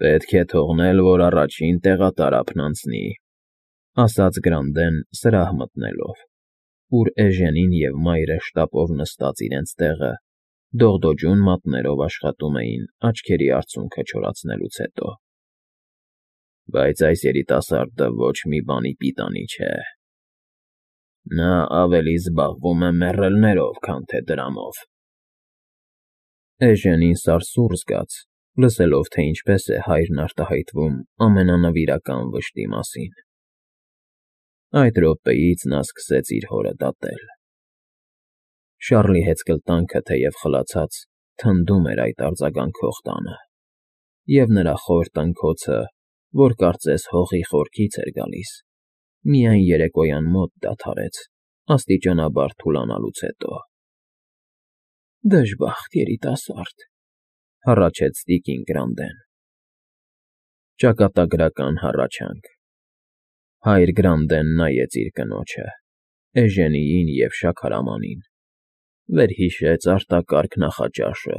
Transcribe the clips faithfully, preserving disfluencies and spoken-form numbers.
Պետք է թողնել, որ առաջին տեղատարափն անցնի, ֊ ասաց Գրանդեն սրահ մտնելով, ուր Էժենին և մայրը շտապով նստած իրենց տեղը դողդոջուն մատներով աշխատում էին աչքերի արցունքը չորացնելուց հետո։ ֊ Բայց այս երիտասարդը ոչ մի բանի պիտանի չէ. նա ավելի զբաղվում է մեռելներով, քան թե դրամով… Էժենին սարսուռ զգաց, լսելով, թե ինչպես է հայրն արտահայտվում ամենանվիրական վշտի մասին. այդ րոպեից նա սկսեց իր հորը դատել… Շառլի հեծկլտանքը, թեև խլացած, թնդում էր այդ արձագանքող տանը, և նրա խոր տնքոցը, որ կարծես հողի խորքից էր գալիս, միայն երեկոյան մոտ դադարեց, աստիճանաբար թուլանալուց հետո։ ֊ Դժբախտ երիտասարդ,֊ հառաչեց տիկին Գրանդեն։ Ճակատագրական հառաչանք… Հայր Գրանդեն նայեց իր կնոջը, Էժենիին և շաքարամանին, վերհիշեց արտակարգ նախաճաշը,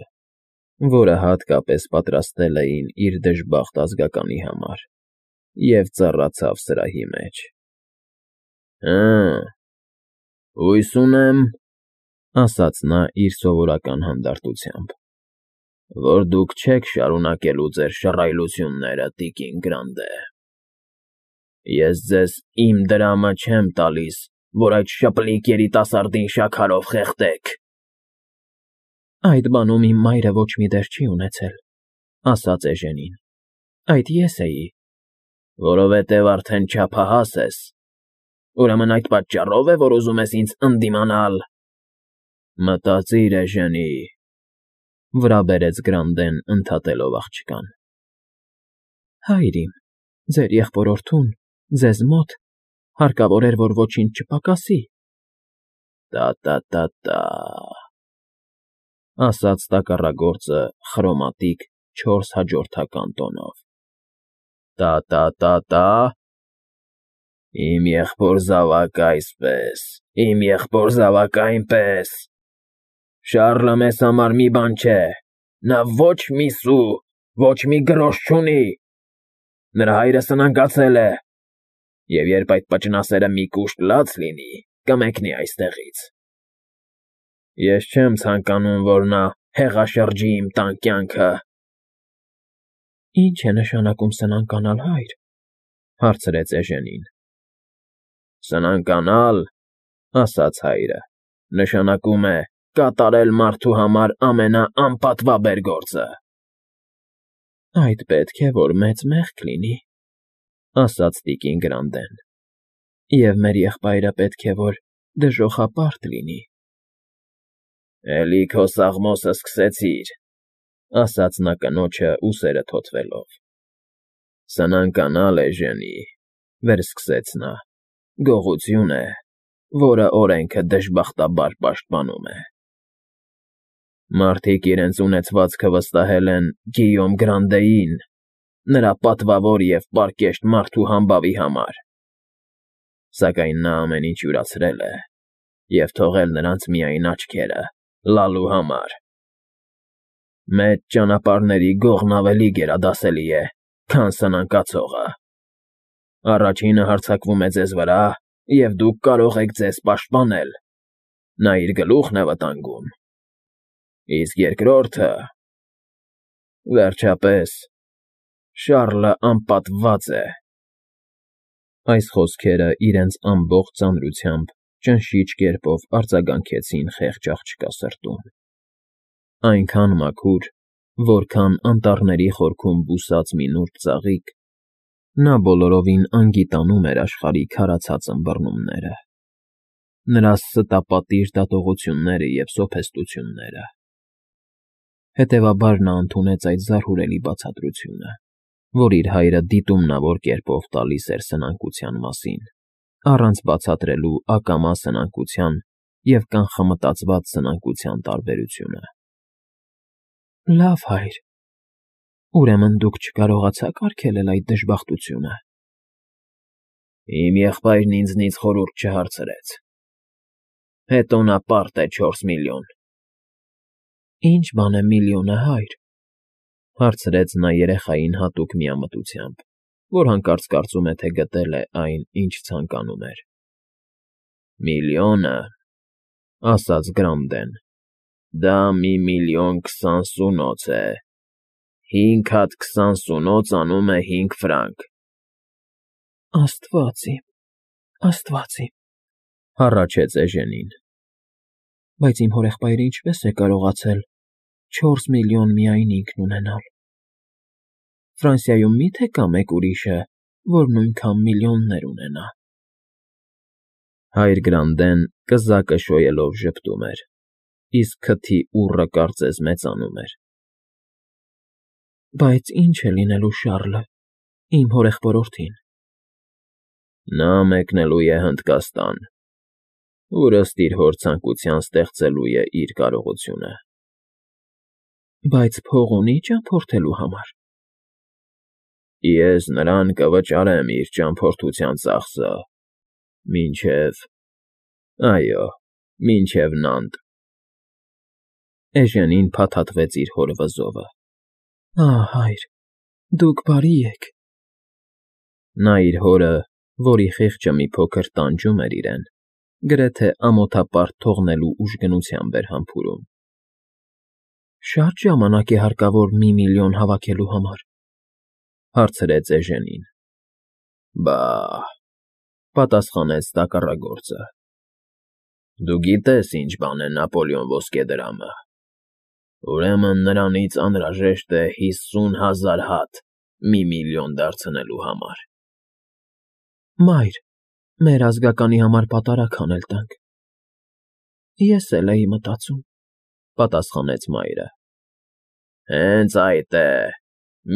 որը հատկապես պատրաստել էին իր դժբախտ ազգականի համար, և ծառացավ սրահի մեջ։ ֊ Հը՜, հույս ունեմ,֊ ասաց նա իր սովորական հանդարտությամբ,֊ որ դուք չեք շարունակելու ձեր շռայլությունները, տիկին Գրանդե… Ես ձեզ իմ դրամը չեմ տալիս, որ այդ շպլիկ երիտասարդին շաքարով խեղդեք… ֊ Այդ բանում իմ մայրը ոչ մի դեր չի ունեցել,֊ ասաց Էժենին,֊ այդ ես էի… ֊ Որովհետև արդեն չափահաս ես… Ուրեմն այդ պատճառո՞վ է, որ ուզում ես ինձ ընդդիմանալ… Մտածիր, Էժենի…֊ վրա բերեց Գրանդեն ընդհատելով աղջկան։ ֊ Հայր իմ, ձեր եղբորորդուն, ձեզ մոտ, հարկավոր էր, որ ոչինչ չպակասի… ֊ Տա՛֊տա՛֊տա՛֊տա՛, ասաց տակառագործը խրոմատիկ չորս հաջորդական տոնով։ ֊ Տա՛֊տա՛֊տա՛, իմ եղբոր զավակը այսպես, իմ եղբոր զավակը այնպես… Շառլը մեզ համար մի բան չէ, նա ոչ մի սու, ոչ մի գրոշ չունի… Նրա հայրը սնանկացել է, և երբ այդ պճնասերը մի կուշտ լաց լինի, կմեկնի այստեղից… Ես չեմ ցանկանում, որ նա հեղաշրջի իմ տան կյանքը… ֊ Ի՞նչ է նշանակում սնանկանալ, հայր,֊ հարցրեց Էժենին։ ֊ Սնանկանալ,֊ ասաց հայրը,֊ նշանակում է կատարել մարդու համար ամենաանպատվաբեր գործը… ֊ Այդ պետք է որ մեծ մեղք լինի,֊ ասաց տիկին Գրանդեն,֊ և մեր եղբայրը պետք է որ դժոխապարտ լինի… ֊ Էլի քո սաղմոսը սկսեցիր,֊ ասաց նա կնոջը ուսերը թոթվելով։ ֊ Սնանկանալ, Էժենի,֊ վերսկսեց նա,֊ գողություն է, որը օրենքը դժբախտաբար պաշտպանում է… Մարդիկ իրենց ունեցվածքը վստահել են Գիյոմ Գրանդեին, նրա պատվավոր և պարկեշտ մարդու համբավի համար… Սակայն նա ամեն ինչ յուրացրել է և թողել նրանց միայն աչքերը, լալու համար… Մեծ ճանապարհների գողն ավելի գերադասելի է, քան սնանկացողը… Առաջինը հարձակվում է ձեզ վրա, և դուք կարող եք ձեզ պաշտպանել, նա իր գլուխն է վտանգում… Իսկ երկրորդը… Վերջապես, Շառլը անպատվված է… Այս խոսքերը իրենց ամբողջ ծանրությամբ ճնշիչ կերպով արձագանքեցին խեղճ աղջկա սրտում, այնքան մաքուր, որքան անտառների խորքում բուսած մի նուրբ ծաղիկ, նա բոլորովին անգիտանում էր աշխարհի քարացած ըմբռնումները, նրա ստապատիժ դատողությունները և սոփեստությունները… Հետևաբար նա ընդունեց այդ զարհուրելի բացատրությունը, որ իր հայրը դիտումնավոր կերպով տալիս էր սնանկության մասին, առանց բացատրելու ակամա սնանկության և կանխամտածված սնանկության տարբերությունը։ ֊ Լավ, հայր, ուրեմն դուք չկարողացաք արգելել այդ դժբախտությունը… ֊ Իմ եղբայրն ինձնից խորհուրդ չհարցրեց… Հետո նա պարտեց չորս միլիոն… ֊ Ի՞նչ բան է միլիոնը, հայր… Հարցրեց նա երեխային հատուկ միամտությամբ, որ հանկարծ կարծում է, թե գտել է այն, ինչ ցանկանում էր։ ֊ Միլիոնը, ֊ ասաց Գրամդեն, ֊ դա մի միլիոն քսան սունոց է, հինգ հատ քսան սունոց անում է հինգ ֆրանկ։ ֊ Աստված իմ, աստված իմ, ֊ հառաչեց Էժենին։ ֊ Բայց իմ հորեղբայրը ինչպե՞ս է կարողացել չորս միլիոն միայն ինքն ունենալ։ Ֆրանսիայում մի՞թե կա մեկ ուրիշը, որ նույնքան միլիոններ ունենա։ Հայր Գրանդեն կզակը շոյելով ժպտում էր, իսկ քթի ուռը կարծես մեծանում էր։ ֊ Բայց ի՞նչ է լինելու Շառլը, իմ հորեղբորորդին։ ֊ Նա մեկնելու է Հնդկաստան, ուր ըստ իր հոր ցանկության ստեղծելու է իր կարողությունը։ ֊ Բայց փող ունի՞ ճամփորդելու համար։ ֊ Ես նրան կվճարեմ իր ճամփորդության ծախսը, մինչև… այո, մինչև Նանտ… Էժենին փաթաթվեց իր հոր վզովը։ ֊ Ահ, հայր, դուք բարի եք… Նա իր հորը, որի խիղճը մի փոքր տանջում էր իրեն, գրեթե ամոթապարտ թողնելու ուժգնությամբ էր համբուրում։ ֊ Շա՞տ ժամանակ է հարկավոր մի միլիոն հավաքելու համար, ֊ հարցրեց Էժենին։ ֊ Բա,֊ պատասխանեց տակառագործը,֊ դու գիտես ինչ բան է Նապոլեոն ոսկեդրամը, ուրեմն նրանից անհրաժեշտ է հիսուն հազար հատ մի միլիոն դարձնելու համար։ ֊ Մայր, մեր ազգականի համար պատարագ անել տանք։ ֊ Ես էլ էի մտածում, ֊ պատասխանեց մայրը։ ֊ Հենց այդ է,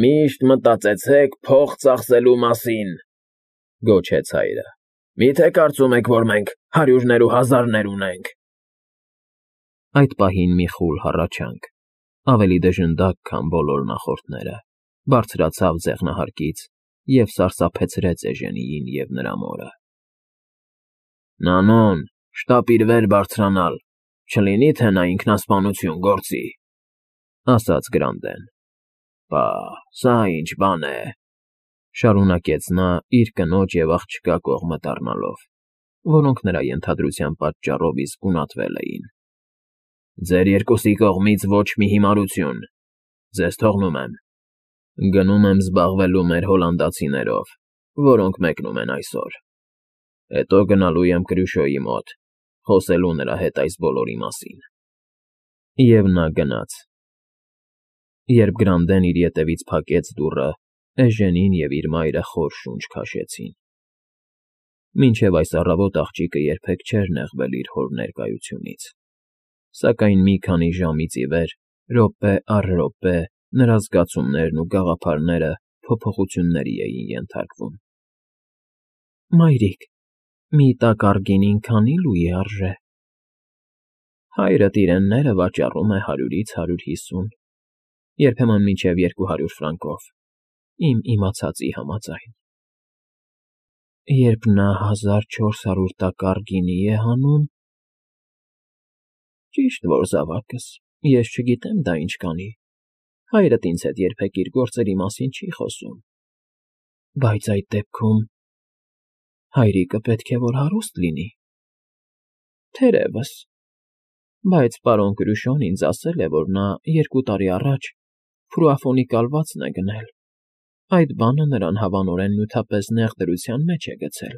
միշտ մտածեցեք փող ծախսելու մասին, ֊ գոչեց հայրը։ ֊ Մի՞թե կարծում եք, որ մենք հարյուրներ ու հազարներ ունենք։ Այդ պահին մի խուլ հառաչանք, ավելի դժնդակ, քան բոլոր նախորդները, բարձրացավ ձեղնահարկից և սարսափեցրեց Էժենիին և նրա մորը։ ֊ Նանոն, շտապիր վեր բարձրանալ, չլինի թե նա ինքնասպանություն գործի, ֊ ասաց Գրանդեն։ ֊ Պա, սա ինչ բան է, ֊ շարունակեց նա իր կնոջ և աղջկա կողմը դառնալով, որոնք նրա ենթադրության պատճառով իսկ գունատվել էին։ ֊ Ձեր երկուսի կողմից ոչ մի հիմարություն, ձեզ թողնում եմ։ Գնում եմ զբաղվելու մեր հոլանդացիներով, որոնք մեկնում են այսօր։ Հետո գնալու եմ Կրյուշոյի մոտ, խոսելու նրա հետ այս բոլորի մասին։ Եվ նա գնաց։ Երբ Գրանդեն իր ետևից փակեց դուռը, Էժենին և իր մայրը խոր շունչ քաշեցին։ Մինչև այս առավոտ աղջիկը երբեք չէր նեղվել իր հոր ներկայությունից, սակայն մի քանի ժամից ի վեր րոպե առ րոպե նրա զգացումներն ու գաղափարները փոփոխությունների էին ենթարկվում։ ֊ Մայրիկ, մի տակառ գինին քանի՞ լուի արժե։ ֊ Հայրդ իրենները վաճառում է հարյուրից հարյուր հիսուն, երբեմն մինչև երկու հարյուր ֆրանկով, իմ իմացածի համաձայն։ ֊ Երբ նա հազար չորս հարյուր տակառ գինի է հանում… Ճիշտ որ, զավակս, ես չգիտեմ դա ինչ կանի, հայրդ ինձ հետ երբեք իր գործերի մասին չի խոսում, բայց այդ դեպքում… հայրիկը պետք է որ հարուստ լինի։ ֊ Թերևս, բայց պարոն Կրյուշոն ինձ ասել է, որ նա երկու տարի առաջ Ֆրուաֆոնի կալվածն է գնել, այդ բանը նրան հավանորեն նյութապես նեղ դրության մեջ է գցել։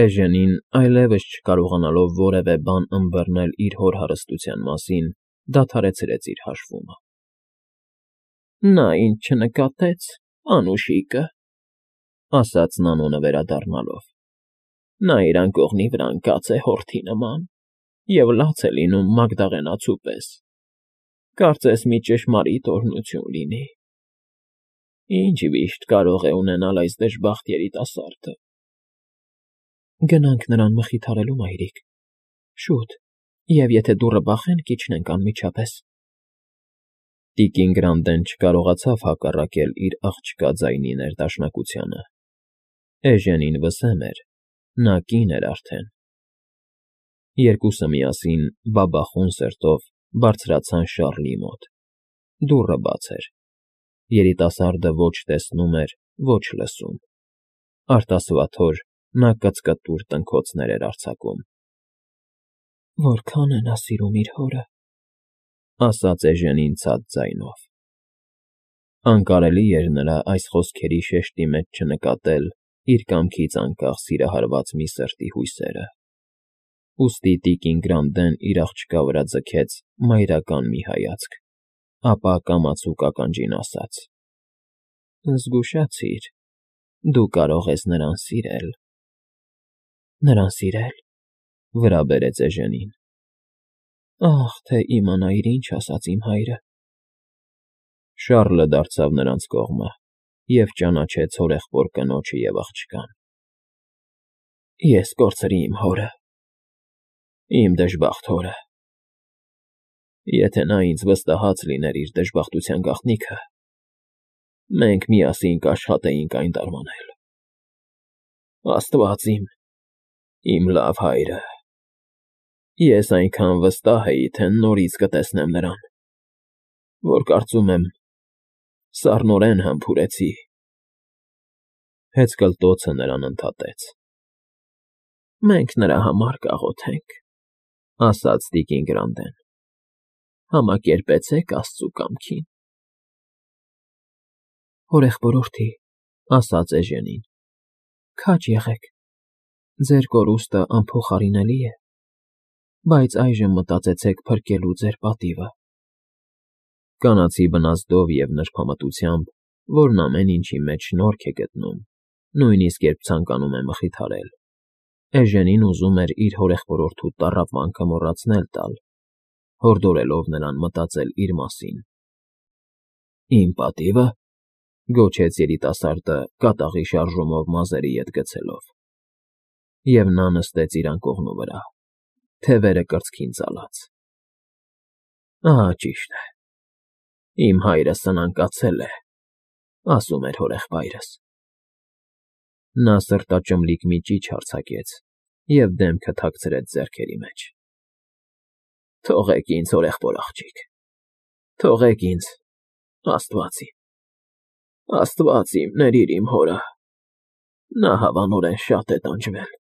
Էժենին, այլևս չկարողանալով որևէ բան ըմբռնել իր հոր հարստության մասին, դադարեցրեց իր հաշվումը։ ֊ Նա ինձ չնկատեց, անուշիկը, ֊ ասաց Նանոնը վերադառնալով։ ֊ Նա իր անկողնի վրա ընկած է հորթի նման և լաց է լինում մագդաղենացու պես, կարծես մի ճշմարիտ օրհնություն լինի։ Ինչ վիշտ կարող է ունենալ այս դժբախտ երիտասարդը։ ֊ Գնանք նրան մխիթարելու, մայրիկ, շուտ, և եթե դուռը բախեն, կիջնենք անմիջապես։ Տիկին Գրանդեն չկարողացավ հակառակել իր աղջկա ձայնի ներդաշնակությանը։ Էժենին վսեմ էր, նա կին էր արդեն։ Երկուսը միասին բաբախուն սրտով բարձրացան Շառլի մոտ Դուռը բաց էր։ Երիտասարդը ոչ տեսնում էր, ոչ լսում։ Արտասվաթոր նա կծկտուր տնքոցներ էր արձակում։ «Որքա՜ն է նա սիրում իր հորը», ֊ ասաց էժենին ցած ձայնով։ Անկարելի էր նրա այս խոսքերի շեշտի մեջ չնկատել իր կամքից անկախ սիրահարված մի սրտի հույսերը, ուստի տիկին Գրանդեն իր աղջկա վրա ձգեց մայրական մի հայացք, ապա կամացուկ ականջին ասաց. «Զգուշացիր, դու կարող ես նրան սիրել»։ «Նրան սիրել», ֊ վրա բերեց էժենին։ «Ախ, թե իմանայիր, ինչ ասաց իմ հայրը»։ Շառլը դարձավ նրանց կողմը և ճանաչեց հորեղբոր կնոջը և աղջկան։ «Ես կորցրի իմ հորը, իմ դժբախտ հորը։ Եթե նա ինձ վստահած լիներ իր դժբախտության գաղտնիքը, մենք միասին կաշխատեինք այն տարմանել։ Աստված իմ, իմ լավ հայրը… Ես այնքան վստահ էի, թե նորից կտեսնեմ նրան, որ կարծում եմ սառնորեն համբուրեցի»։ Հեծկլտոցը նրան ընդհատեց։ «Մենք նրա համար կաղոթենք», ֊ ասաց տիկին Գրանդեն։ «Համակերպեցեք աստծու կամքին»։ «Հորեղբորորդի», ֊ ասաց էժենին, ֊ քաջ եղեք, ձեր կորուստը անփոխարինելի է, բայց այժմ մտածեցեք փրկելու ձեր պատիվը»։ Կանացի բնազդով և նրբամտությամբ, որն ամեն ինչի մեջ շնորհք է գտնում, նույնիսկ երբ ցանկանում է մխիթարել, էժենին ուզում էր իր հորեղբորորդու տառապանքը մոռացնել տալ, հորդորելով նրան մտածել իր մասին։ «Իմ պատի՞վը», ֊ գոչեց երիտասարդը կատաղի շարժումով մազերի ետ գցելով, և նա նստեց իր անկողնու վրա, թևերը կրծքին ծալած։ «Ահա ճիշտ է, իմ հայրը սնանկացել է», ֊ ասում էր հորեղբայրս։ Նա սրտաճմլիկ մի ճիչ արձակեց և դեմքը թաքցրեց ձեռքերի մեջ։ «Թողեք ինձ, հորեղբոր աղջիկ, թողեք ինձ, աստված իմ, աստված իմ, ներիր իմ հորը, նա հավանորեն շատ է տանջվել»։